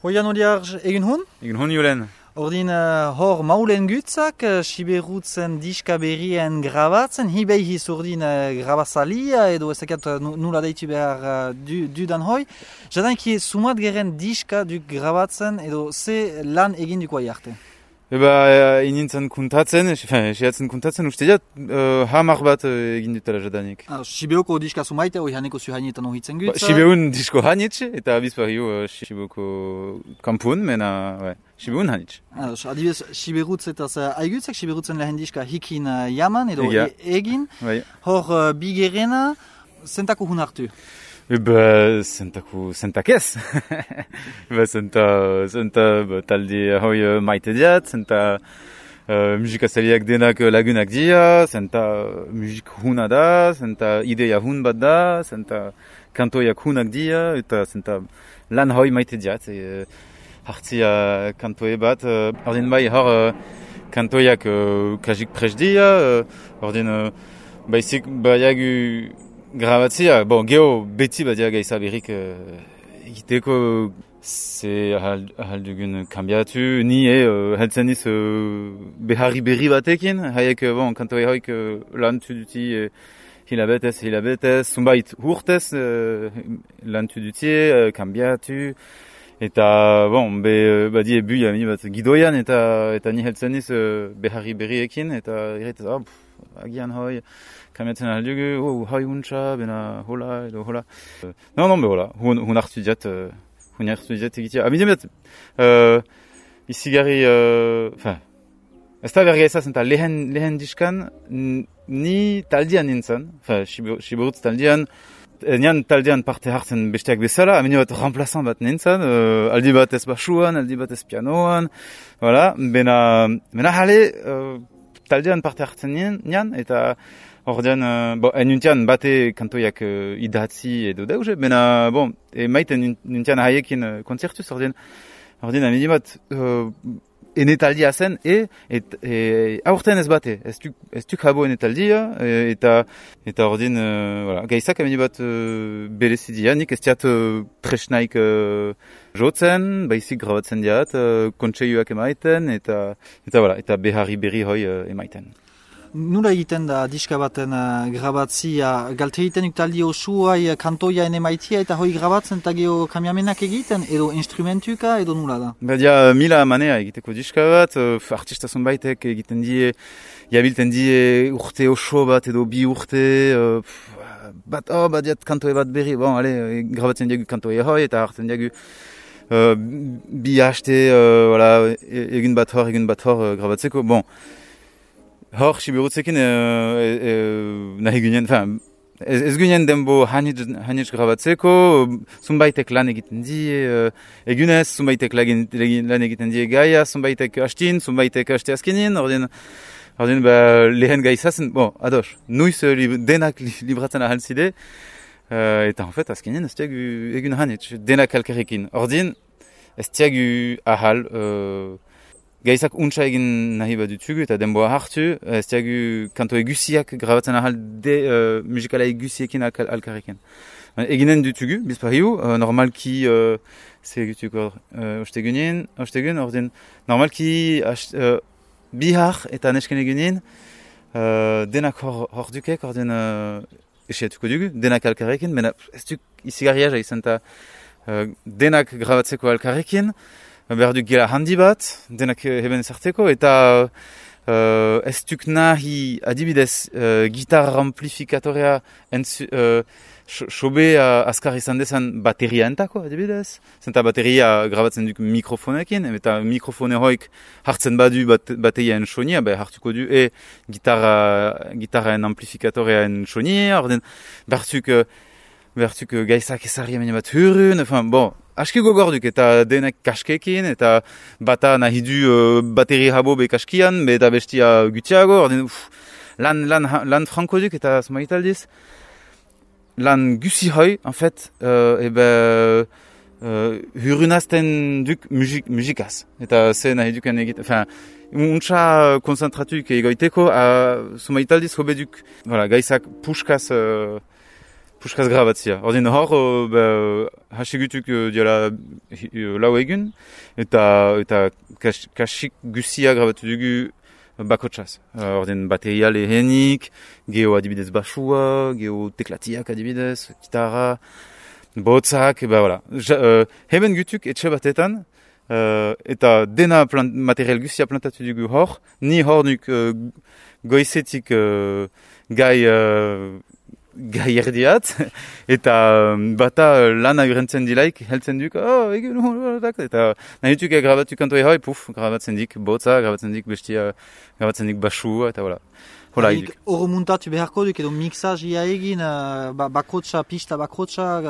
Hoian odiarj egin hun? Egin hon julen. Ordin hor maulen gutzak, siberutzen diska berrien grabatzen, hibei hiz ordin grabazalia edo ezakat nula deitu behar dudan hoi. Jadanki sumat geren diska duk grabatzen edo ze lan egin duko aiarte? Inintzen kuntatzen, esiatzen kuntatzen, uste diat, hamar bat egin dutela jadanik. Sibeoko diska sumaite, hoi haneko zuhainetan ohitzen gutza? Sibeun disko hanitz, eta bizpariu Sibeoko kampun, mena, Sibeun hanitz. Adibidez, Siberutz eta aigutzak, Siberutzen lehen diska hikin jaman edo egin. Hor bigerena, zentako hun hartu? Zentak ez. Zenta talde hoi maite diat, zenta musikazaliak denak lagunak dia, zenta musik huna da, zenta ideia hun bat da, zenta kantoiak hunak dia, eta zenta lan hoi maite diat. Hartzia kantoe bat, ordin bai hor kantoiak kajik pres dia, ordin baizik baiagu grabatzia, geho beti badia gaiza berrik egiteko ze ahal dugun kambiatu, ni heltzen iz beharri berri batekin, haiek kantoe hoik lantu duti hilabetez, zumbait hurtez lantu duti, kambiatu, eta badie buia mini bat gidoian eta ni heltzen iz beharri berriekin, eta irretez, agian hoi, kamiatzen aldugu, hoi untsa, bena hola, edo hola. Non, hola, hun hartu diat egitea. Abidem bat, izigarri, ez da bergaiza zenta lehen diskan, ni taldean nintzen, Siberutz taldean, nian taldean parte hartzen besteak bezala, amine bat remplazan bat nintzen, aldi bat ez basuan, aldi bat ez pianoan, bena jale, taldean parte hartzen nian, eta ordean, nuntian bate kantoiak idatzi edo dauze, bena, maiten nuntian haiekin konzertuz, ordean amine bat ene taldia zen, aurten ez bate, ez duk habo ene taldia, eta ordean, gaizak amine bat berezidia, nik ez diat presnaik jotzen, baizik grabatzen diat, kontseioak emaiten, eta beharri berri hoi emaiten. Nula egiten da diska baten grabatzia, galte egiten taldi osuai kantoia ene maitia eta hoi grabatzen eta geho kamiamenak egiten, edo instrumentuka, edo nula da? Badia mila manea egiteko diska bat, artista zonbaitek egiten die, jabilten die urte oso bat edo bi urte, badiat kantoe bat berri, grabatzen diagu kantoe hoi eta hartzen diagu bi haste, egin bat hor grabatzeko, hor Siberutzekin nahi ginen, ez ginen denbo hanitz grabatzeko, zumbaitek lan egiten die, egunez, zumbaitek lan egiten die gaia, zumbaitek hastin, zumbaitek haste azkenin, ordin lehen gaizazen, ados, nuiz denak libratzen ahaltzide, eta en fait azkenin ez tiagu egun hanitz, denak alkarrekin, ordin ez tiagu ahal, gaizak untsa egin nahi bat dutugu eta denboa hartu, ez diagu kanto egusiak grabatzen ahal musikala egusiekin alkarrekin. Eginen dutugu, bizpariu, normalki, egutuko ostegun, ordin, normalki bihar eta nesken egunin, denak hor dukek, ordin esiatuko dugu, denak alkarrekin, mena ez duk izigarriaja izan eta denak grabatzeko alkarrekin, behar duk gela handi bat, denak heben ezarteko, eta ez duk nahi adibidez gitar amplifikatorea sobe azkar izan dezan bateria entako, adibidez. Zenta bateria grabatzen duk mikrofonekin, eta mikrofone hoik hartzen badu bateriaen sonia, hartuko du gitarraen amplifikatoreaen sonia, orden behartuk gaizak ezarri amene bat hurun, aski gogorduk eta denek kaskekin, eta bata nahi du bateri habo be kaskian, eta bestia gutiago, lan franko duk eta zumaitaldiz, lan gusi hoi, en fait, hurunazten duk musikaz, eta ze nahi duken egiten, untsa konzentratuk egoiteko, zumaitaldiz hobe duk, gaizak puskaz puskaz grabatzia. Ordin hor, hasigutuk diala lau egun, eta kasik guzia grabatu dugu bakotsaz. Ordin bateria lehenik, geho adibidez basua, geho teklatiak adibidez, gitarra, botzak, voilà. Heben gutuk etxe batetan, eta dena material guzia plantatu dugu hor, ni hor nuk goizetik gai erdiat, eta bata lana urentzen dilaik, heltzen duk, eta nahi dutuk grabatu kantoe hoi, grabatzen dik botza, grabatzen dik bestia, grabatzen dik basua, eta voilà. Horo muntatu beharko duk edo mixazia egin, bakotsa, pista bakotsa,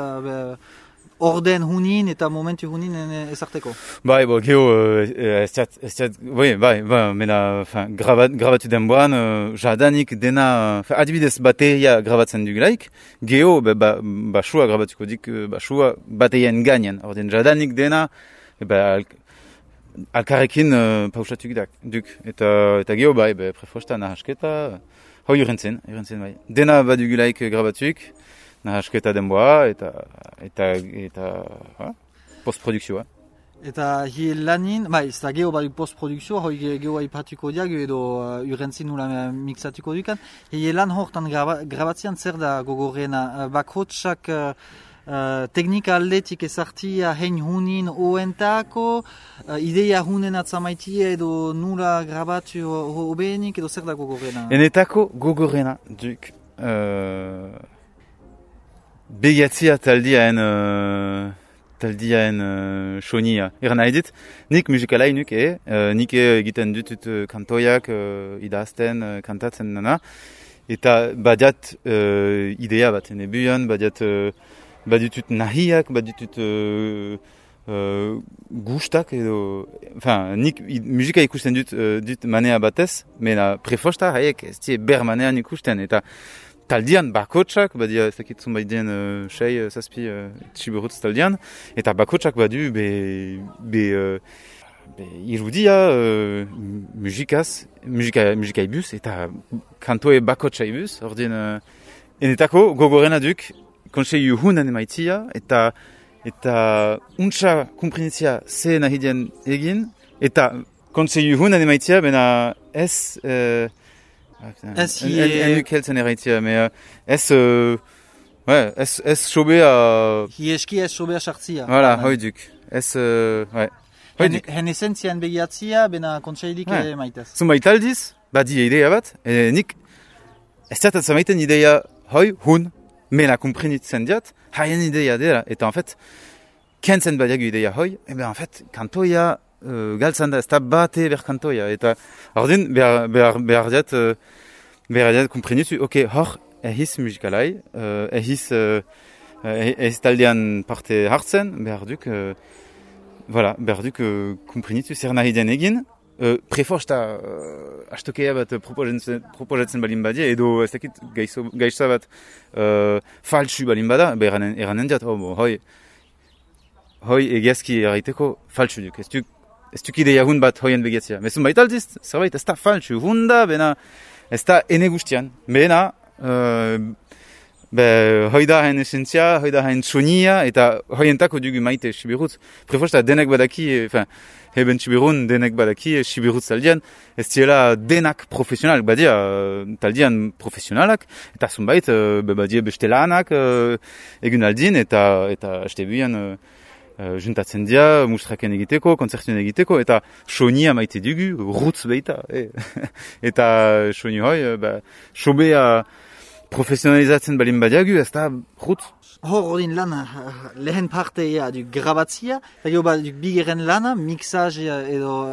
orden hunin eta momentu hunin ezarteko. Bai, geho, mena, grabatu denboan, jadanik dena, adibidez bateria grabatzen dugulaik, geho, basua grabatuko dik, basua baterian gainen, orden jadanik dena, alkarrekin pausatuk duk, eta geho, prefosta nahasketa, hoi urentzen, bai. Dena badugulaik grabatuk, nahasketa denboa eta postprodukzioa. Eta hi lanin, ez da geho baduk postprodukzioa, hoi geho aipatuko diag edo urentzin nula mixatuko dukan. Hi lan hortan grabatzean zer da gogorrena, bakotsak teknika aldetik ezartia hein hunin oentako, ideia hunen atzamaitia edo nula grabatu hobenik edo zer da gogorrena? Enetako gogorrena duk begatzia taldiaen sonia. Eran nahi dit, nik musikalai nuke, nik egiten dutut kantoiak, idazten, kantatzen nana, eta badiat idea bat enebuan, baditut nahiak, baditut gustak edo, nik musika ikusten dut manea batez, mena prefosta haiek ez die ber manean ikusten, eta taldian bakotsak, badia ez dakit zunbaidien zazpi txiburutz taldian, eta bakotsak badu irudia musikai bus, eta kantoe bakotsai bus, ordin enetako gogorena duk, konseiu hunan emaitia, eta untsa kumprinitzia ze nahidien egin, eta konseiu hunan emaitia, bena ez... Enuk heltzen erraitzia, ez sobea... Hi eski ez sobea sartzia. Voilà, hoi duk. Hen esentzian begiatzia, bena kontseilik maitez. Zunbait aldiz, badi idea bat, nik ez zertat zamaiten idea hoi, hun, mena kumprinitzen diat, haien idea dela, eta en fait, kentzen badiagu idea hoi, en fait, kantoia galtzan da, ez da bate ber kantoia, eta ordin behar diat kumprinitu, hor, ehiz musikalai, ehiz taldean parte hartzen, behar duk kumprinitu zer nahi den egin, prefosta astokea bat proposatzen balin badia, edo ez dakit gaitza bat faltsu balin bada, eranen diat, hoi egiazki erraiteko faltsu duk, ez duk ideia hun bat hoien begiatzia. Mezun baita aldiz, zerbait ez da faltsu hun da, bena ez da ene guztian, bena hoi da hain esentzia, hoi da hain sonia, eta hoientako dugu maite Sibirutz. Prefosta denek badaki, heben Sibirun denek badaki Sibirutz taldian, ez diela denak profesional, badia taldian profesionalak, eta zunbait badia beste lanak egun aldin, eta estebuian juntatzen dia, mustraken egiteko, konzertuen egiteko, eta sonia maite dugu, rutz beita. Eta soni hoi, sobea profesionalizatzen balin badiagu, ez da rutz. Hor odin lana, lehen partea du grabatzia, eta gero bigeren lana, mixazia edo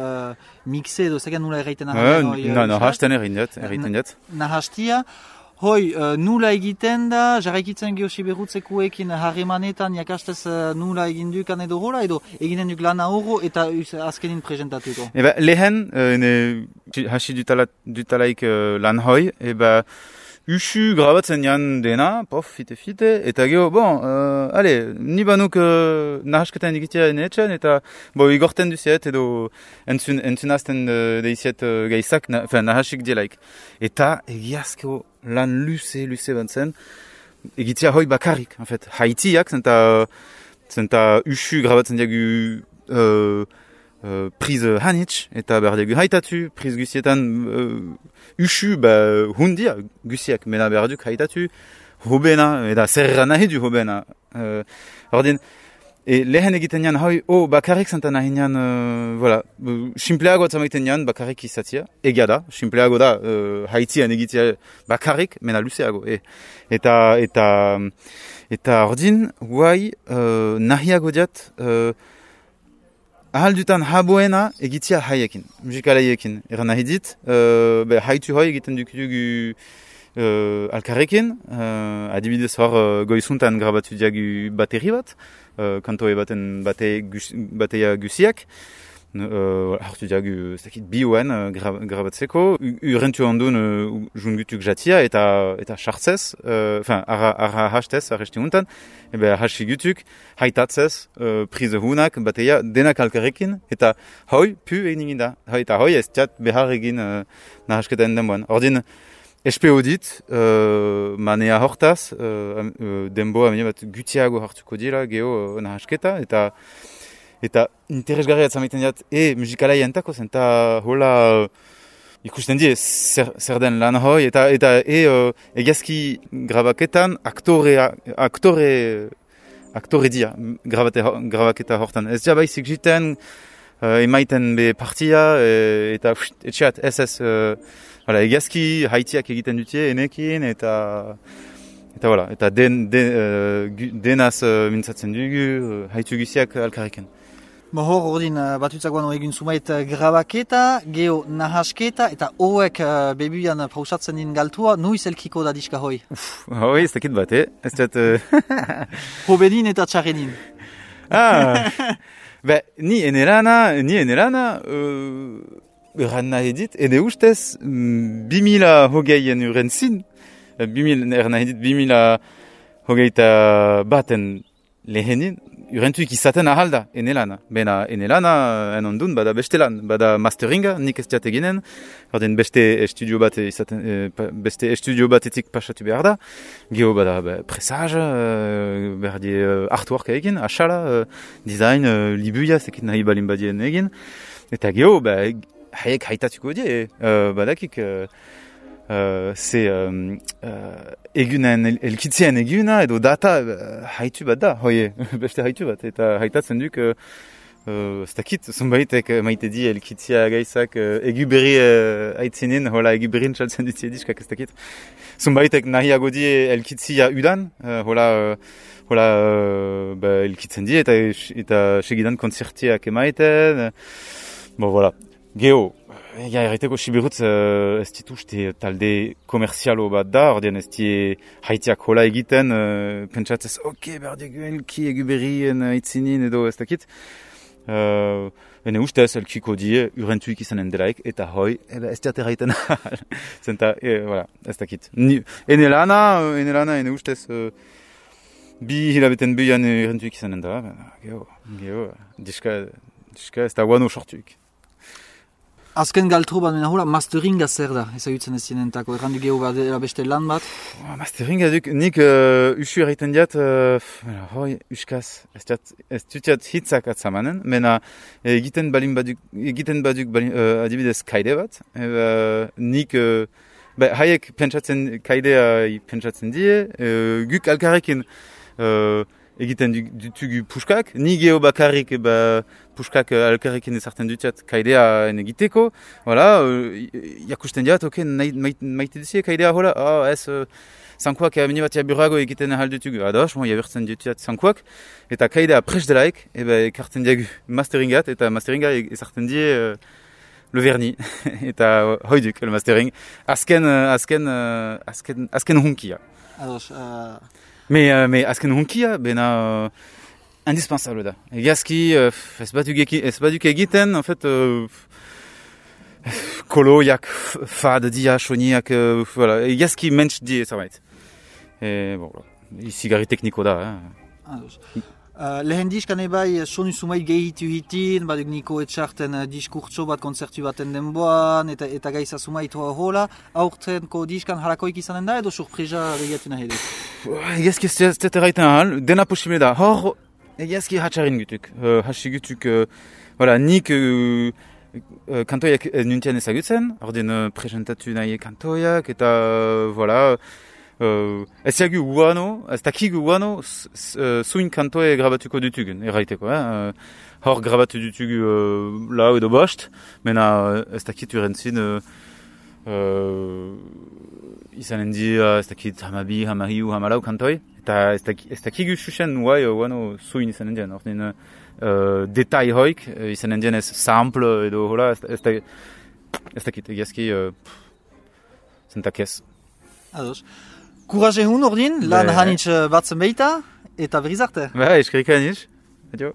mixe edo zegan nula erraiten ahal. Nahasten erraiten dut. Nahastia. Hoi, nula egiten da, jarraikitzen geho Siberutzekuekin harremanetan jakastez nula egin dukan edo hola, edo eginen duk lana horro eta azkenin presentatuko. Lehen, hasi dutalaik lan hoi, usu grabatzen jan dena, fite, eta geho, ni banuk nahasketan egitea enetzen, eta igorten duziet, edo entzunazten deiziet gaizak, nahasik dielaik. Eta egiazko lan luze bat zen, egitea hoi bakarrik, en fait. Haitiak, zenta usu grabatzen diagu priz hanitz, eta behar diagu haitatu, priz gusietan usu hundia gusiak, mena behar duk haitatu, hobena, eta zerra nahi du hobena. Ordin, lehen egiten nian hoi, bakarrik zenta nahi nian, voilà, simpleago zamaiten nian bakarrik izatia, egia da, simpleago da, haitian egitea bakarrik, mena luzeago, Eta ordin, guai, nahiago diat, ahaldutan haboena egitea haiekin, musikalaiekin. Eran nahi dit, haitu hoi egiten dugu alkarrekin, adibidez hor goizuntan grabatu diagu bateri bat, kantoe baten bateia gusiak, hartu diagu biuen grabatzeko, urentu ondun jungutuk jatia eta chartzez, arra hastez, arresti untan, hasi gutuk, haitatzez, prize hunak, bateia, denak alkarrekin, eta hoi, pu egin da. Eta hoi ez tiat behar egin nahasketen denboan. Ordin, SPO dit, manea hortaz, denboa bat gutiago hartuko dira, geho nahasketa, eta interesgarria zamaiten diat, musikalai entako zen, eta hola ikusten die zer den lan hoi, eta egazki grabaketan aktore dia grabaketa hortan. Ez ja baizik jiten, emaiten be partia, eta etxeat, egazki haitiak egiten dutie, enekin, eta denaz mintzatzen dugu, haitu guziak alkarrekin. Hor ordin batutzagoan egin zumait grabaketa, geho nahasketa, eta horrek bebuian pausatzen din galtua, nuiz elkiko da diska hoi? Hoi, ez dakit bat, ez dut... Hobenin eta txarrenin. Ni enerana, erran nahi dit, ene ustez, 2000 hogeien uren zin, 2000 hogeita baten lehenin, urentuik izaten ahalda, enelana. Bena, enelana, enondun, bada beste lan, bada masteringa, nik ez diat eginen, ordin beste estudio batetik pasatu behar da, geho bada presage, behar di artwork egin, asala, design, libuia, zekit nahi balin badien egin, eta geho, haiek haitatuko die, badakik, egunen, elkitzien eguna edo data haitu bat da, hoie, beste haitu bat, eta haitatzen duk, ez dakit, zunbaitek maite di elkitzia gaizak egu berri haitzinin, hola egu berrin txaltzen dutie diskak, ez dakit. Zunbaitek nahiago di elkitzia udan, hola elkitzen di, eta segidan konzertiak emaiten, voilà. Geho, erreteko Sibirutz ez dituzte talde komerzialo bat da, ordean ez die haitiak hola egiten, pentsatzez, behar dugu elki egu berrien aitzinin edo ez dakit. Ene ustez elkiko die urentuik izanen delaik, eta hoi, ez diate haiten ahal. Zenta, ez dakit. Ene lana, ene ustez, bi hilabeten buian urentuik izanen da, geho, diska ez da guano sortuik. Azken galtro bat mena hola, masteringa zer da, ezagutzen ez zienentako, errandu geho badela beste lan bat? Masteringa duk, nik usu erraiten diat, hoi, uskaz, ez dutiat hitzak atzamanen, mena egiten baduk adibidez kaide bat, nik, haiek kaidea pentsatzen die, guk alkarrekin egiten dutugu puskak, ni geho bakarrik puskak alkarrekin ezartzen dutiat kaidea egiteko, jakusten diat, maite duzie kaidea hola, ez, zankuak mini bat burrago egiten ahal dutugu, ados, jabertzen dutiat zankuak, eta kaidea prest delaik, ekartzen diagu masteringat, eta masteringa ezartzen die le verni, eta hoiduk, le mastering, azken hunkia. Ados, Mais azken hunkia, bena indispensable da. Egazki, ez baduk egiten, en fait, koloiak, fad dia, soniak, egazki mentx die zerbait. Izi gari tekniko da. Ados. Lehen diskan ebai sonu sumait gehitu hitin, baduk niko etxarten diskurtso bat konzertu baten denboan, eta gaiza sumait hola, aurtenko diskan harakoik izanen da edo surpresa begiatu nahi edo? Egezki ez dut erraiten ahal, dena posible da. Hor, egezki hatxarin gutuk. Hasi gutuk, nik kantoiak nuntian ezagutzen, ordin presentatu nahi kantoiak, eta, ez jagu guano, ez dakigu guano, zuin kantoe grabatuko dutugun, erraiteko. Hor grabatu dutugu lau edo bost, mena ez dakit urentzin, izanen dira, ez dakit hamabi, hamariu, hamalau kantoi, eta ez dakigu xuxen guano zuin izanen dien. Ordin detai hoik, izanen dien ez sample edo hola, ez dakit egizki zentakez. Ados. Kuraje hun ordin, lan hanitz batzen beita, eta berriz arte. Eskerrik aniz. Adio.